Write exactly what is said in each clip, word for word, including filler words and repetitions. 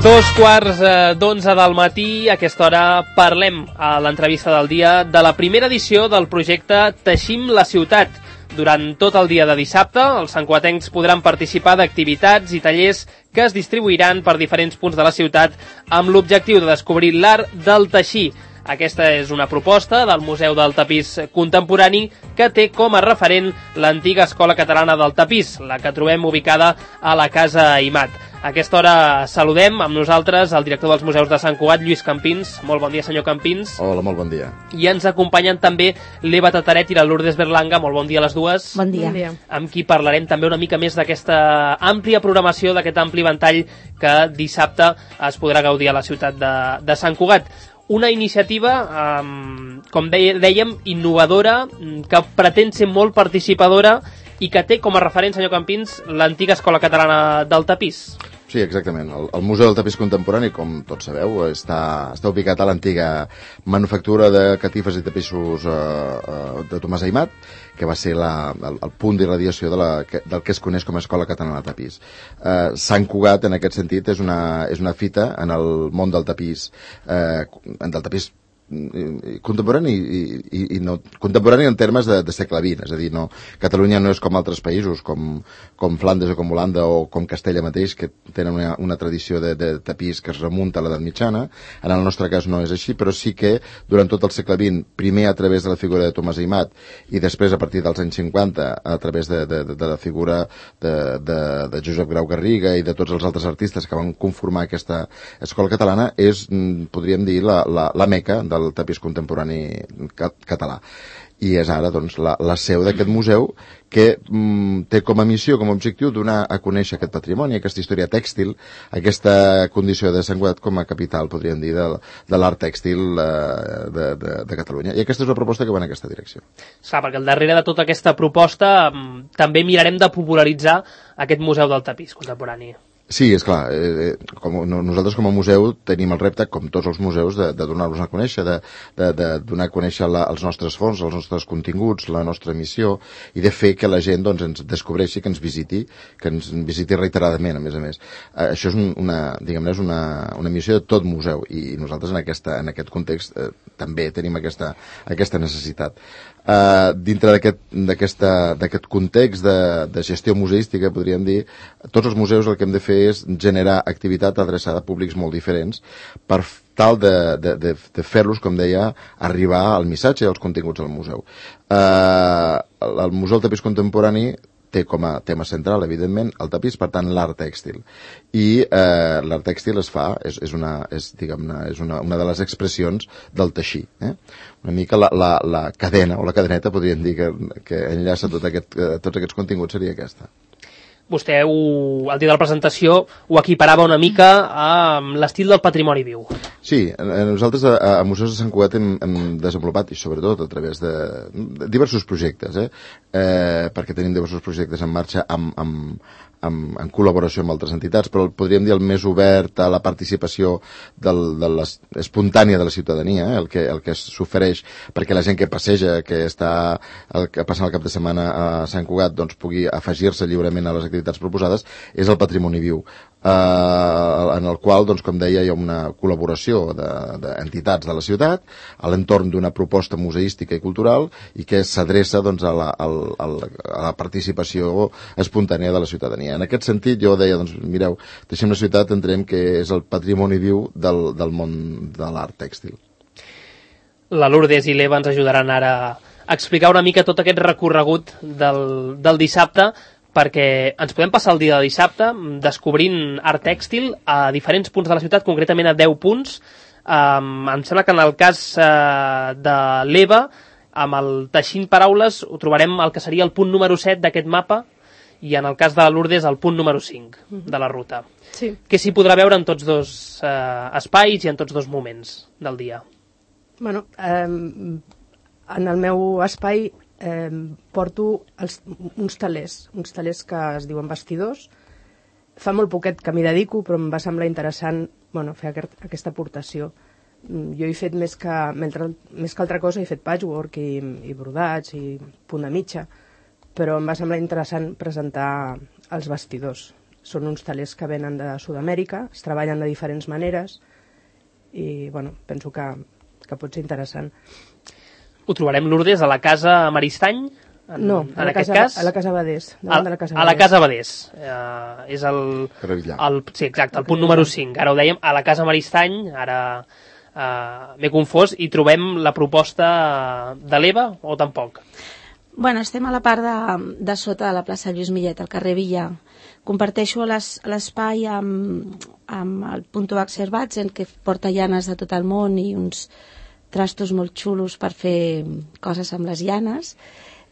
Dos quarts eh, d'onze del matí, a aquesta hora parlem a l'entrevista del dia de la primera edició del projecte Teixim la ciutat. Durant tot el dia de dissabte, els santcugatencs podran participar d'activitats i tallers que es distribuiran per diferents punts de la ciutat amb l'objectiu de descobrir l'art del teixir. Aquesta és una proposta del Museu del Tapís Contemporani que té com a referent l'antiga Escola Catalana del Tapís, la que trobem ubicada a la Casa Aimat. A aquesta hora saludem amb nosaltres el director dels museus de Sant Cugat, Lluís Campins. Molt bon dia, senyor Campins. Hola, molt bon dia. I ens acompanyen també l'Eva Tataret i la Lourdes Berlanga. Molt bon dia a les dues. Bon dia. Bon dia. Amb qui parlarem també una mica més d'aquesta àmplia programació, d'aquest ampli ventall que dissabte es podrà gaudir a la ciutat de, de Sant Cugat. Una iniciativa, um, com dèiem, innovadora, que pretén ser molt participadora i que té com a referent, senyor Campins, l'antiga Escola Catalana del Tapís. Sí, exactament. El, el Museu del Tapís Contemporani, com tots sabeu, està, està ubicat a l'antiga manufactura de catifes i tapissos eh, eh, de Tomàs Aimat, que va ser la, el, el punt d'irradiació de la, que, del que es coneix com a Escola Catalana de Tapís. Eh, Sant Cugat, en aquest sentit, és una, és una fita en el món del tapís, eh, del tapís contemporani i, i, i no, contemporani en termes de, de segle vint, és a dir, no, Catalunya no és com altres països, com, com Flandes o com Holanda o com Castella mateix, que tenen una, una tradició de, de tapís que es remunta a l'edat mitjana. En el nostre cas no és així, però sí que durant tot el segle vint, primer a través de la figura de Tomàs Aimat i després a partir dels anys cinquanta a través de, de, de la figura de, de, de Josep Grau Garriga i de tots els altres artistes que van conformar aquesta escola catalana, és, podríem dir, la, la, la meca del tapís contemporani català. I és ara doncs, la, la seu d'aquest museu que mm, té com a missió, com a objectiu, donar a conèixer aquest patrimoni, aquesta història tèxtil, aquesta condició de Sant Cugat com a capital, podríem dir, de, de l'art tèxtil eh, de, de, de Catalunya. I aquesta és una proposta que va en aquesta direcció. Clar, perquè al darrere de tota aquesta proposta també mirarem de popularitzar aquest Museu del Tapís Contemporani. Sí, és clar, eh, com, no, nosaltres com a museu tenim el repte, com tots els museus, de, de donar-los a conèixer, de, de, de donar a conèixer la, els nostres fons, els nostres continguts, la nostra missió, i de fer que la gent doncs, ens descobreixi, que ens visiti, que ens visiti reiteradament, a més a més. Eh, això és una, diguem-ne, és una, una missió de tot museu, i nosaltres en, aquesta, en aquest context eh, també tenim aquesta, aquesta necessitat. Uh, dintre d'aquest aquest context de, de gestió museística, podríem dir, tots els museus el que hem de fer és generar activitat adreçada a públics molt diferents per tal de, de, de, de fer-los, com deia, arribar al missatge i als continguts del museu. Uh, el Museu del Tapís Contemporani té com a tema central, evidentment, el tapís, per tant, l'art tèxtil. I eh, l'art tèxtil es fa, és, és, una, és, diguem-ne, és una, una de les expressions del teixir. Eh? Una mica la, la, la cadena, o la cadeneta, podríem dir, que, que enllaça tot aquest, eh, tots aquests continguts, seria aquesta. Vostè, ho, al dia de la presentació, ho equiparava una mica a l'estil del patrimoni viu. Sí, nosaltres a, a Museus de Sant Cugat hem, hem desenvolupat, i sobretot a través de, de diversos projectes, eh? Eh, perquè tenim diversos projectes en marxa amb, amb, amb, en col·laboració amb altres entitats, però podríem dir el més obert a la participació del, de les, espontània de la ciutadania, eh? el que, el que s'ofereix perquè la gent que passeja, que està el, que passa el cap de setmana a Sant Cugat, doncs pugui afegir-se lliurement a les activitats proposades, és el patrimoni viu. Uh, en el qual, doncs, com deia, hi ha una col·laboració d'entitats de, de la ciutat a l'entorn d'una proposta museística i cultural i que s'adreça doncs, a, la, a, la, a la participació espontània de la ciutadania. En aquest sentit, jo deia, doncs, mireu, Teixim la ciutat entenem que és el patrimoni viu del, del món de l'art tèxtil. La Lourdes i l'Eva ens ajudaran ara a explicar una mica tot aquest recorregut del, del dissabte, perquè ens podem passar el dia de dissabte descobrint art tèxtil a diferents punts de la ciutat, concretament a deu punts. Um, em sembla que en el cas uh, de l'Eva, amb el Teixint Paraules, ho trobarem el que seria el punt número set d'aquest mapa, i en el cas de la Lourdes, el punt número cinc de la ruta. Sí. Que s'hi podrà veure en tots dos uh, espais i en tots dos moments del dia. Bueno, eh, en el meu espai eh, porto els, uns talers, uns talers que es diuen vestidors. Fa molt poquet que m'hi dedico, però em va semblar interessant bueno, fer aquest, aquesta aportació. Jo he fet més que, més que altra cosa, he fet patchwork i, i brodats i punt de mitja, però em va semblar interessant presentar els vestidors. són uns talers que venen de Sud-amèrica, es treballen de diferents maneres i bueno, penso que, que pot ser interessant. Ho trobarem, Lourdes, a la casa Maristany? En, no, en a, la aquest casa, cas? a la Casa Badés. A, de la casa a la Casa Badés. Uh, és el, el... Sí, exacte, el punt número cinc. Ara ho dèiem, a la Casa Maristany, ara uh, m'he confós, i trobem la proposta de l'Eva o tampoc? Bueno, estem a la part de, de sota de la plaça Lluís Millet, al carrer Villa. Comparteixo l'espai amb, amb el Punto Axerbatsen, que porta llanes de tot el món i uns trastos molt xulos per fer coses amb les llanes.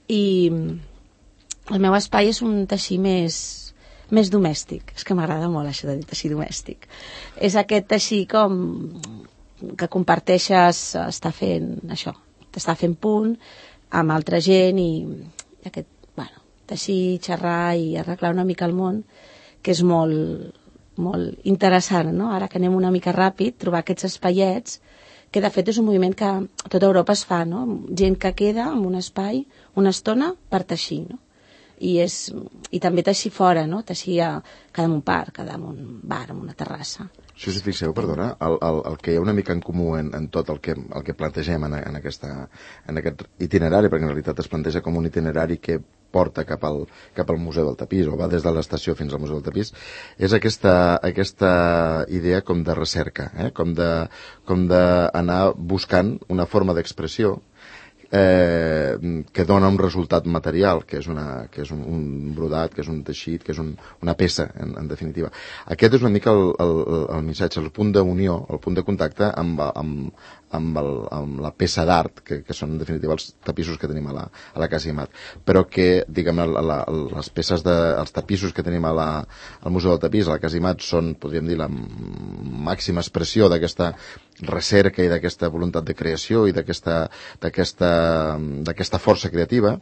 I el meu espai és un teixir més, més domèstic. És que m'agrada molt això de dir teixir domèstic. És aquest teixir com que comparteixes, està fent això, t'està fent punt amb altra gent i aquest, bueno, teixir, xerrar i arreglar una mica el món, que és molt, molt interessant, no? Ara que anem una mica ràpid, trobar aquests espaiets, que de fet és un moviment que a tota Europa es fa, no? Gent que queda en un espai una estona per teixir, no? I, és, i també teixir fora, no? Teixir a, cada en un parc, cada en un bar, en una terrassa. Si us fixeu, perdona, el, el, el que hi ha una mica en comú en, en tot el que, el que plantegem en, en, aquesta, en aquest itinerari, perquè en realitat es planteja com un itinerari que porta cap al, cap al Museu del Tapís, o va des de l'estació fins al Museu del Tapís, és aquesta, aquesta idea com de recerca, eh? com de, com d'anar buscant una forma d'expressió Eh, que dona un resultat material, que és, una, que és un, un brodat, que és un teixit, que és un, una peça, en, en definitiva. Aquest és una mica el, el, el missatge, el punt d'unió, el punt de contacte amb, amb, amb, el, amb la peça d'art, que, que són en definitiva els tapissos que tenim a la, a la Casa Aimat, però que, diguem, la, la, les peces de, els tapissos que tenim a la, al Museu del Tapís, a la Casa Aimat, són, podríem dir, la màxima expressió d'aquesta recerca i d'aquesta voluntat de creació i d'aquesta d'aquesta d'aquesta força creativa,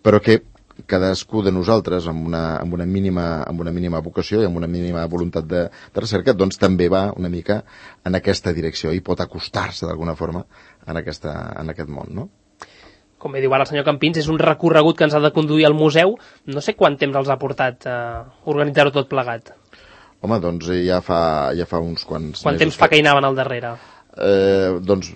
però que cadascú de nosaltres amb una, amb una, mínima, amb una mínima vocació i amb una mínima voluntat de, de recerca, doncs també va una mica en aquesta direcció i pot acostar-se d'alguna forma en, aquesta, en aquest món, no? Com bé diu ara el senyor Campins, és un recorregut que ens ha de conduir al museu. No sé quant temps els ha portat eh, organitzar-ho tot plegat. Home, doncs ja fa, ja fa uns quants Quant temps fa que hi anaven al darrere? Eh, doncs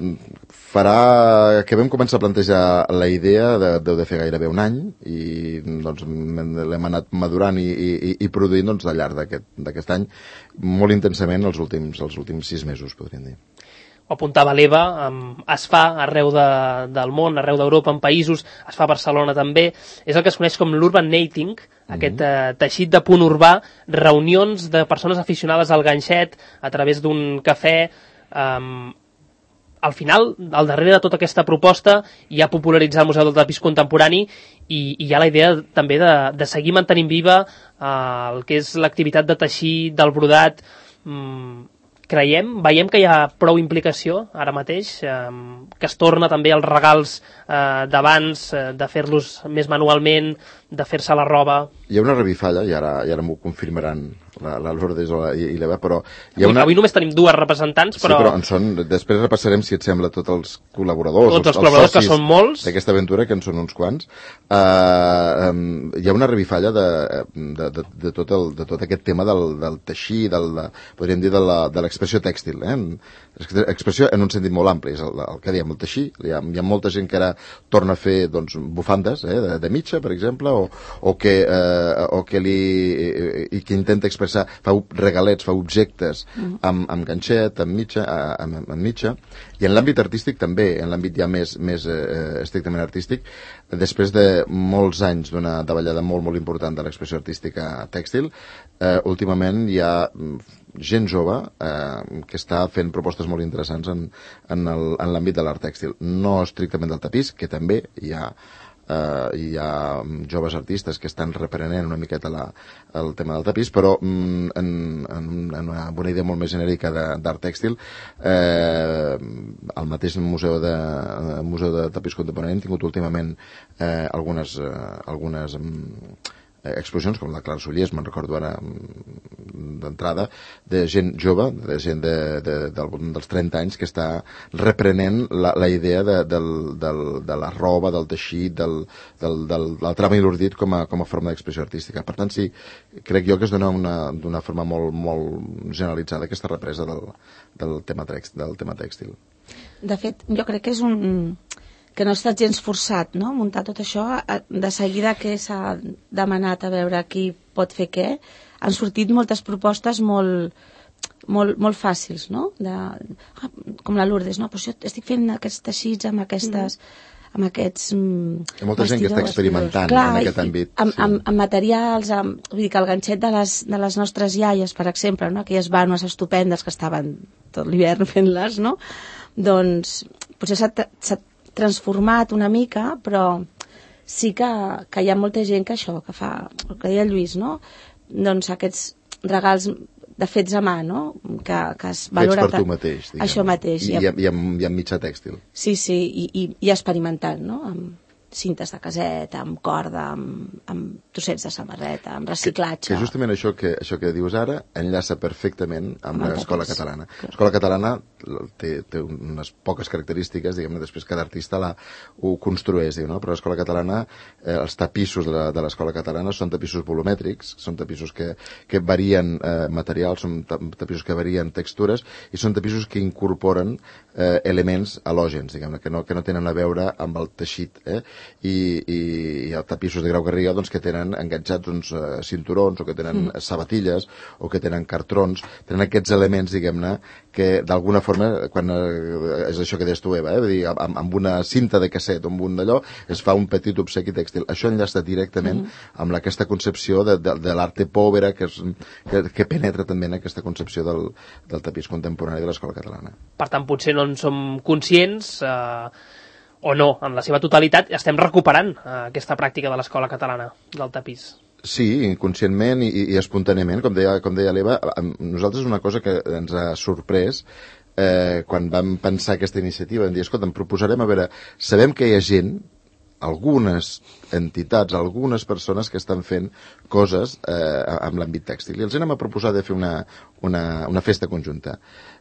farà que vam començar a plantejar la idea de, deu de fer gairebé un any i doncs l'hem anat madurant i, i, i produint doncs, al llarg d'aquest any molt intensament els últims, els últims sis mesos, podríem dir. Ho apuntava l'Eva, es fa arreu de, del món, arreu d'Europa, en països, es fa a Barcelona també, és el que es coneix com l'urban nating, aquest eh, teixit de punt urbà, reunions de persones aficionades al ganxet a través d'un cafè. Um, al final, al darrere de tota aquesta proposta hi ha popularitzar el Museu del Tapís Contemporani i, i hi ha la idea també de, de seguir mantenint viva uh, el que és l'activitat de teixir, del brodat. um, Creiem, veiem que hi ha prou implicació ara mateix, eh, que es torna també als regals eh, d'abans, eh, de fer-los més manualment, de fer-se la roba. Hi ha una revifalla, i ara, i ara m'ho confirmaran la, la Lourdes i, i l'Eva, però... Hi ha avui, una... avui només tenim dues representants, però... Sí, però en són... Després repassarem, si et sembla, tots els col·laboradors, tots els, els col·laboradors, que són molts, d'aquesta aventura, que en són uns quants. Uh, um, hi ha una revifalla de, de, de, de, tot, el, de tot aquest tema del, del teixir, del, de, podríem dir, de l'expressió tèxtil, eh? Expressió en un sentit molt ampli, és el, el que diem, el teixir. Hi ha, hi ha molta gent que ara torna a fer doncs, bufandes eh, de, de mitja, per exemple, o, o, que, eh, o que li i que intenta expressar, fa regalets, fa objectes amb, amb ganxet, amb mitja, amb, amb mitja, i en l'àmbit artístic també, en l'àmbit ja més, més eh, estrictament artístic, després de molts anys d'una davallada molt, molt important de l'expressió artística tèxtil, eh, últimament hi ha gent jove eh, que està fent propostes molt interessants en, en, el, en l'àmbit de l'art tèxtil, no estrictament del tapís, que també hi ha Uh, hi ha joves artistes que estan reprenent una miqueta la, el tema del tapís, però mm, en, en, en una, una idea molt més genèrica d'art tèxtil. Eh, al mateix museu de, museu de tapís contemporani hem tingut últimament eh, algunes, eh, algunes mm, exposicions, com la Clara Sullés, me'n recordo ara, d'entrada de gent jove, de gent de, de, del, dels trenta anys que està reprenent la, la idea de, del, del, de la roba, del teixit, del, del, del, del trama i l'ordit com a, com a forma d'expressió artística. Per tant, sí, crec jo que es dona d'una forma molt, molt generalitzada aquesta represa del, del, tema text, del tema tèxtil. De fet, jo crec que és un... que no ha estat gens forçat, no?, muntar tot això. De seguida que s'ha demanat a veure qui pot fer què, han sortit moltes propostes molt, molt, molt fàcils, no?, de, ah, com la Lourdes, no?, però jo estic fent aquests teixits amb aquestes... Mm. amb aquests mm, Hi ha molta gent que està experimentant. Clar, en aquest àmbit. Amb, sí. amb, amb materials, amb, vull dir que el ganxet de les, de les nostres iaies, per exemple, no?, aquelles vànoes estupendes que estaven tot l'hivern fent-les, no?, doncs potser s'ha transformat una mica, però sí que, que hi ha molta gent que això, que fa, el que deia el Lluís, no?, doncs aquests regals de fets a mà, no?, que, que es valora... Fets per tu mateix, diguem. Això mateix. I, i, i, amb, i amb mitjà tèxtil. Sí, sí, i, i, i experimentant, no?, amb cintes de caset, amb corda, amb, amb trossets de samarreta, amb reciclatge... Que, que justament això que, això que dius ara enllaça perfectament amb, amb l'escola catalana. Clar. L'escola catalana té, té unes poques característiques, diguem-ne, després cada artista la, ho construeix, diu, no? Però l'escola catalana, eh, els tapissos de l'escola catalana són tapissos volumètrics, són tapissos que, que varien eh, materials, són tapissos que varien textures, i són tapissos que incorporen eh, elements halògens, diguem-ne, que no, que no tenen a veure amb el teixit, eh? I, i, i els tapissos de Grau Garriga doncs, que tenen enganxats uns uh, cinturons o que tenen mm. sabatilles o que tenen cartrons, tenen aquests elements, diguem-ne, que d'alguna forma, quan uh, és això que deies tu, Eva, eh? Vull dir, amb, amb una cinta de casset o amb un d'allò, es fa un petit obsequi tèxtil. Això enllaça directament mm. amb aquesta concepció de, de, de l'arte povera que, és, que, que penetra també en aquesta concepció del, del tapís contemporani de l'escola catalana. Per tant, potser no en som conscients... Eh... o no, en la seva totalitat, estem recuperant eh, aquesta pràctica de l'escola catalana del tapís. Sí, inconscientment i, i espontàniament, com deia, com deia l'Eva, nosaltres una cosa que ens ha sorprès eh, quan vam pensar aquesta iniciativa, vam dir, escolta, em proposarem a veure, sabem que hi ha gent, algunes entitats, algunes persones que estan fent coses eh, amb l'àmbit tèxtil, i els anem a proposar de fer una, una, una festa conjunta.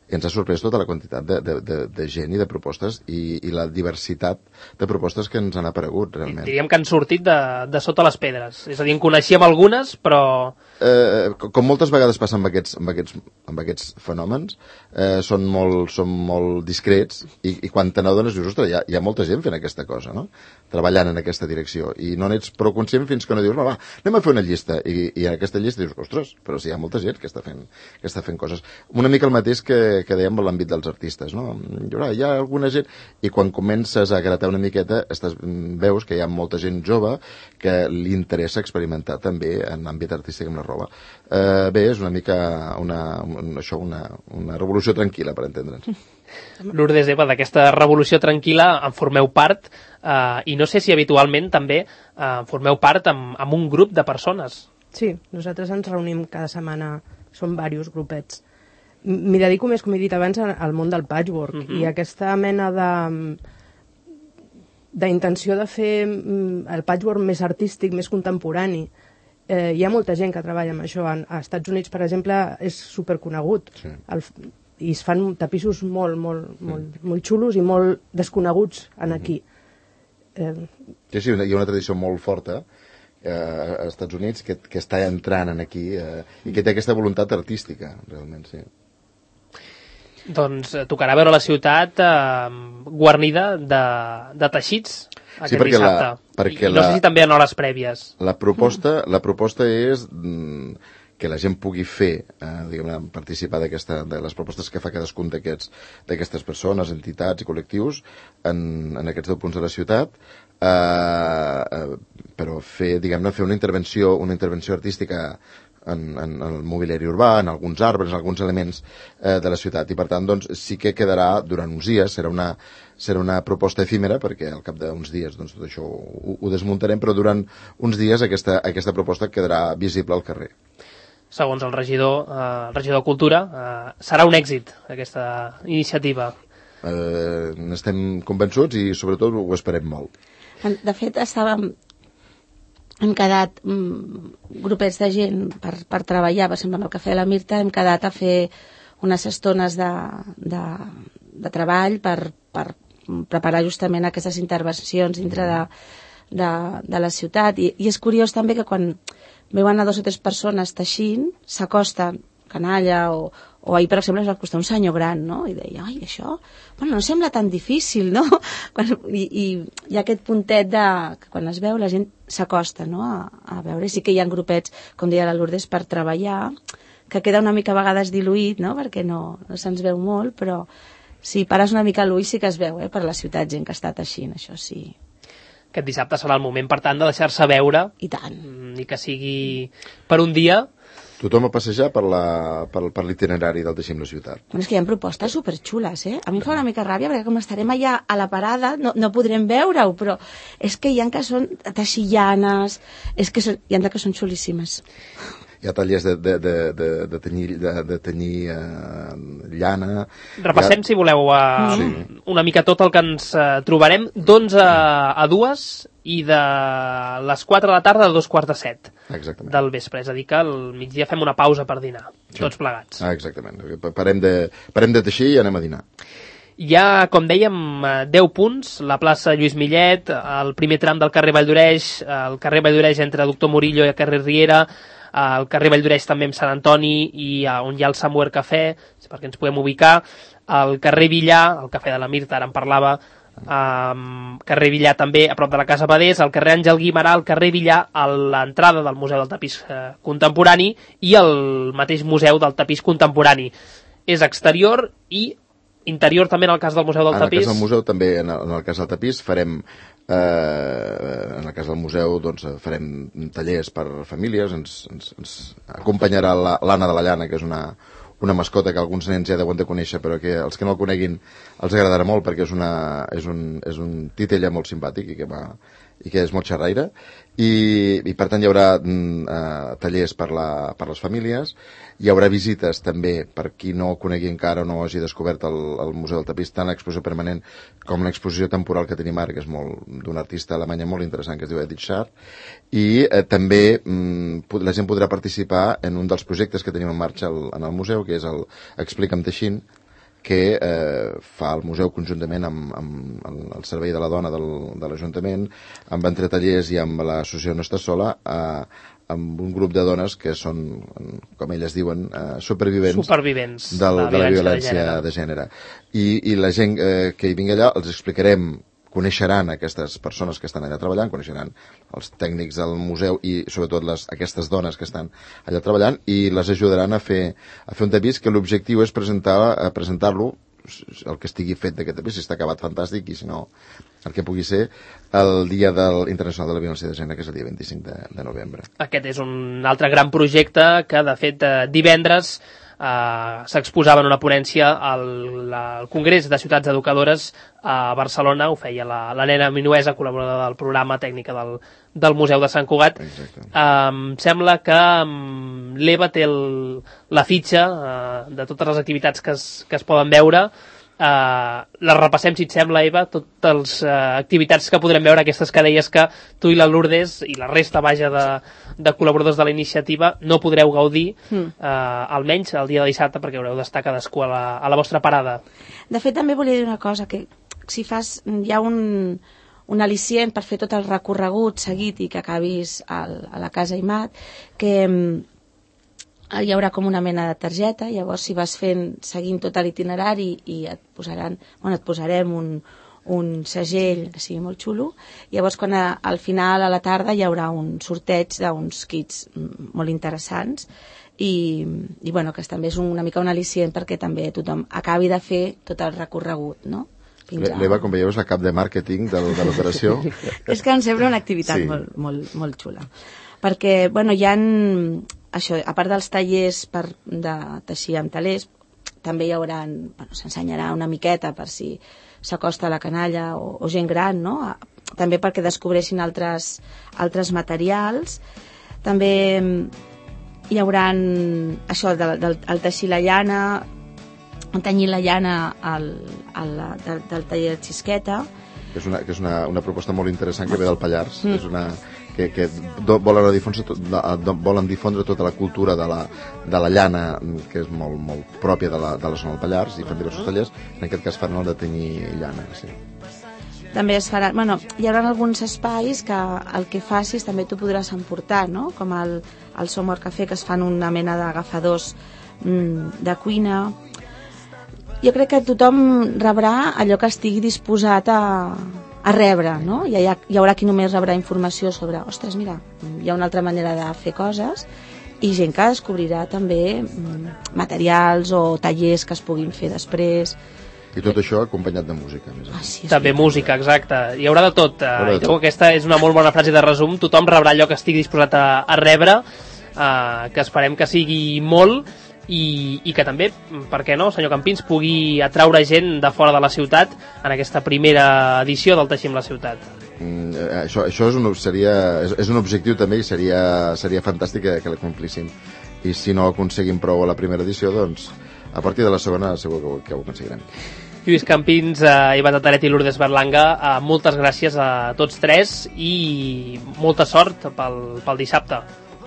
I ens ha sorprès tota la quantitat de, de, de, de gent i de propostes i, i la diversitat de propostes que ens han aparegut, realment. Diríem que han sortit de, de sota les pedres. És a dir, en coneixíem algunes, però... Eh, com moltes vegades passa amb aquests, amb aquests, amb aquests fenòmens, eh, són, molt, són molt discrets i, i quan te n'adones dius, ostres, hi ha, hi ha molta gent fent aquesta cosa, no?, treballant en aquesta direcció, i no n'ets prou conscient fins que no dius, va, va, anem a fer una llista, i, i en aquesta llista dius, ostres, però si hi ha molta gent que està fent, que està fent coses. Una mica el mateix que, que dèiem en l'àmbit dels artistes, no? Hi ha alguna gent, i quan comences a gratar una miqueta, estàs, veus que hi ha molta gent jove que li interessa experimentar també en l'àmbit artístic amb la roba. Eh, bé, és una mica una, una, això, una, una revolució tranquil·la, per entendre'ns. Lourdes, Eva, d'aquesta revolució tranquil·la en formeu part, eh, i no sé si habitualment també eh, formeu part amb, amb un grup de persones. Sí, nosaltres ens reunim cada setmana, som diversos grupets. M'hi dedico més, com he dit abans, al món del patchwork, uh-huh. i aquesta mena de d'intenció de fer el patchwork més artístic, més contemporani. Eh, hi ha molta gent que treballa amb això. A Estats Units, per exemple, és superconegut. Sí. El, i es fan tapissos molt, molt, molt, molt xulos i molt desconeguts en aquí. Eh... Sí, sí, hi ha una tradició molt forta eh, als Estats Units que, que està entrant en aquí eh, i que té aquesta voluntat artística, realment, sí. Doncs eh, tocarà veure la ciutat eh, guarnida de, de teixits aquest sí, perquè dissabte. La, perquè I no la, sé si també en hores prèvies. La proposta, la proposta és mm, que la gent pugui fer, eh, diguem-ne, participar d'aquesta, de les propostes que fa cadascun d'aquests, d'aquestes persones, entitats i col·lectius en, en aquests deu punts de la ciutat, eh, eh, però fer, diguem-ne, fer una intervenció, una intervenció artística en, en el mobiliari urbà, en alguns arbres, en alguns elements eh, de la ciutat. I per tant, doncs, sí que quedarà durant uns dies, serà una, serà una proposta efímera, perquè al cap d'uns dies doncs, tot això ho, ho desmuntarem, però durant uns dies aquesta, aquesta proposta quedarà visible al carrer. Segons el regidor, eh, el regidor de Cultura, eh, serà un èxit aquesta iniciativa. Eh, n'estem convençuts i sobretot ho esperem molt. De fet, estàvem hem quedat mm, grupets de gent per, per treballar, per exemple, amb el Cafè de la Mirta hem quedat a fer unes estones de, de, de treball per, per preparar justament aquestes intervencions dintre de, de, de la ciutat. I, I és curiós també que quan veuen a dos o tres persones teixint, s'acosten, canalla o, o ahir, per exemple, es va costar un senyor gran, no? I deia, ai, això, bueno, no sembla tan difícil, no? Quan, i, i hi ha aquest puntet de que quan es veu la gent s'acosta, no? A, a veure, sí que hi ha grupets, com deia la Lourdes, per treballar, que queda una mica a vegades diluït, no? Perquè no, no se'ns veu molt, però si pares una mica l'ull sí que es veu, eh? Per la ciutat, gent que està teixint, això sí. Aquest dissabte serà el moment, per tant, de deixar-se veure. I tant. Ni que sigui per un dia. Tothom a passejar per la, per, per l'itinerari del Teixim la ciutat. Bueno, és que hi ha propostes superxules, eh? A mi em fa una mica ràbia, perquè com estarem allà a la parada no, no podrem veure-ho, però és que hi ha que són texillanes, és que són, hi ha que són xulíssimes. Hi ha tallers de, de, de, de, de tenyir, de, de tenyir eh, llana. Repassem, ha... si voleu, uh, sí. una mica tot el que ens uh, trobarem d'onze a dues i de les quatre de la tarda a dos quarts de set. Exactament. Del vespre. És a dir, que al migdia fem una pausa per dinar, sí. tots plegats. Ah, exactament. Parem de, parem de teixir i anem a dinar. Hi ha, com dèiem, deu punts, la plaça Lluís Millet, el primer tram del carrer Valldoreix, el carrer Valldoreix entre Doctor Murillo i el carrer Riera, el carrer Valldoreix també amb Sant Antoni i on hi ha el Samuel Cafè, perquè ens podem ubicar, el carrer Villar, el Cafè de la Mirta, ara en parlava, Um, carrer Villar també a prop de la Casa Badés, el carrer Àngel Guimarà, el carrer Villar a l'entrada del Museu del Tapís eh, Contemporani i el mateix Museu del Tapís Contemporani. És exterior i interior també en el cas del Museu del en Tapís. En el cas del museu també, en el, en el cas del Tapís farem eh, en el cas del museu doncs farem tallers per famílies, ens, ens, ens acompanyarà l'Anna de la Llana, que és una una mascota que alguns nens ja deuen de conèixer, però que els que no el coneguin els agradarà molt, perquè és, una, és, un, és un titella molt simpàtic i que, va, i que és molt xerraire. I, i per tant hi haurà uh, tallers per, la, per les famílies, hi haurà visites també per qui no conegui encara o no hagi descobert el, el Museu del Tapís, tant l'exposició permanent com l'exposició temporal que tenim ara, que és d'un artista alemanya molt interessant que es diu Edith Schaar, i eh, també mm, la gent podrà participar en un dels projectes que tenim en marxa el, en el museu, que és el Explica'm Teixint, que eh, fa el museu conjuntament amb, amb el, el Servei de la Dona del, de l'Ajuntament, amb entretallers i amb l'associació No Estàs Sola, eh, amb un grup de dones que són, com elles diuen, eh, supervivents, supervivents del, de, de la violència de gènere. De gènere. I, i la gent eh, que hi vingui allà els explicarem, coneixeran aquestes persones que estan allà treballant, coneixeran els tècnics del museu i sobretot les, aquestes dones que estan allà treballant i les ajudaran a fer, a fer un tapís que l'objectiu és presentar, a presentar-lo, el que estigui fet d'aquest tapís, si està acabat fantàstic i si no, el que pugui ser el Dia del Internacional de la Violència de Gènere, que és el dia vint-i-cinc de, de novembre. Aquest és un altre gran projecte que, de fet, divendres Uh, s'exposava en una ponència al, al Congrés de Ciutats Educadores a Barcelona, ho feia la, la nena Minuesa, col·laboradora del programa tècnica del, del Museu de Sant Cugat. Uh, em sembla que um, l'Eva té el, la fitxa uh, de totes les activitats que es, que es poden veure. Uh, les repassem, si et sembla, Eva, totes les uh, activitats que podrem veure, aquestes que deies que tu i la Lourdes i la resta, vaja, de, de col·laboradors de la iniciativa no podreu gaudir, mm. uh, almenys el dia de dissabte, perquè haureu d'estar cadascú a la, a la vostra parada. De fet, també volia dir una cosa, que si fas, hi ha un, un al·licient per fer tot el recorregut seguit i que acabis al, a la Casa Aimat, que hi haurà com una mena de targeta, llavors si vas fent, seguint tot l'itinerari i et posaran, bueno, et posarem un, un segell que sigui molt xulo, llavors quan a, al final a la tarda hi haurà un sorteig d'uns kits molt interessants i, i bueno, que també és una mica un al·licient perquè també tothom acabi de fer tot el recorregut, no? L'Eva, com veieu, és la cap de màrqueting de, de l'operació. És que em sembla una activitat sí. molt, molt, molt xula. Perquè, bueno, hi ha, això, a part dels tallers per, de teixir amb talers, també hi haurà, bueno, s'ensenyarà una miqueta per si s'acosta a la canalla o, o gent gran, no? També perquè descobreixin altres, altres materials. També hi haurà això del, del, del teixir la llana, tenyir la llana al, al, del, del taller de Xisqueta. Que és, una, que és una, una proposta molt interessant que ve del Pallars, mm. és una, que, que do, volen, difondre, do, volen difondre tota la cultura de la, de la llana, que és molt, molt pròpia de la, de la zona del Pallars, i fan diversos tallers, en aquest cas fan el de tenyir llana, sí. També es farà, bueno, hi haurà alguns espais que el que facis també tu podràs emportar, no? Com el, el Somor Café, que es fan una mena d'agafadors mm, de cuina. Jo crec que tothom rebrà allò que estigui disposat a, a rebre, no? Hi, ha, hi haurà qui només rebrà informació sobre, ostres, mira, hi ha una altra manera de fer coses, i gent que descobrirà també mm, materials o tallers que es puguin fer després. I tot això acompanyat de música. Més ah, sí, també sí. música, exacte. Hi haurà de tot. Haurà de I tot. Aquesta és una molt bona frase de resum. Tothom rebrà allò que estigui disposat a, a rebre, eh, que esperem que sigui molt, i, i que també, per què no, senyor Campins, pugui atraure gent de fora de la ciutat en aquesta primera edició del Teixim la ciutat. Mm, això això és, un, seria, és, és un objectiu també, i seria, seria fantàstic que, que l'acomplissin. I si no aconseguim prou a la primera edició, doncs a partir de la segona segur que ho, que ho aconseguirem. Lluís Campins, eh, Ivan Tataret i Lourdes Berlanga, eh, moltes gràcies a tots tres i molta sort pel, pel dissabte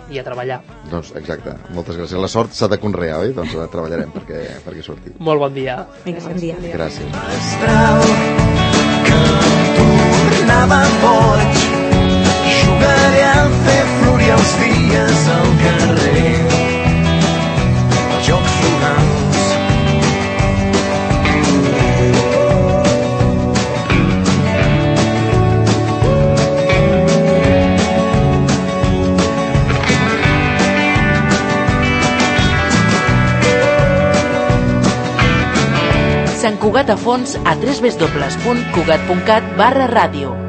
i a treballar. Doncs exacte, moltes gràcies. La sort s'ha de conrear, oi? Doncs treballarem perquè, perquè surti. Molt bon dia. Vinga, bon dia. Gràcies. Astral, que tornava boig, jugaré a fer florir els dies al carrer, jocs florals. Sant Cugat a fons a w w w punt cugat punt cat barra ràdio.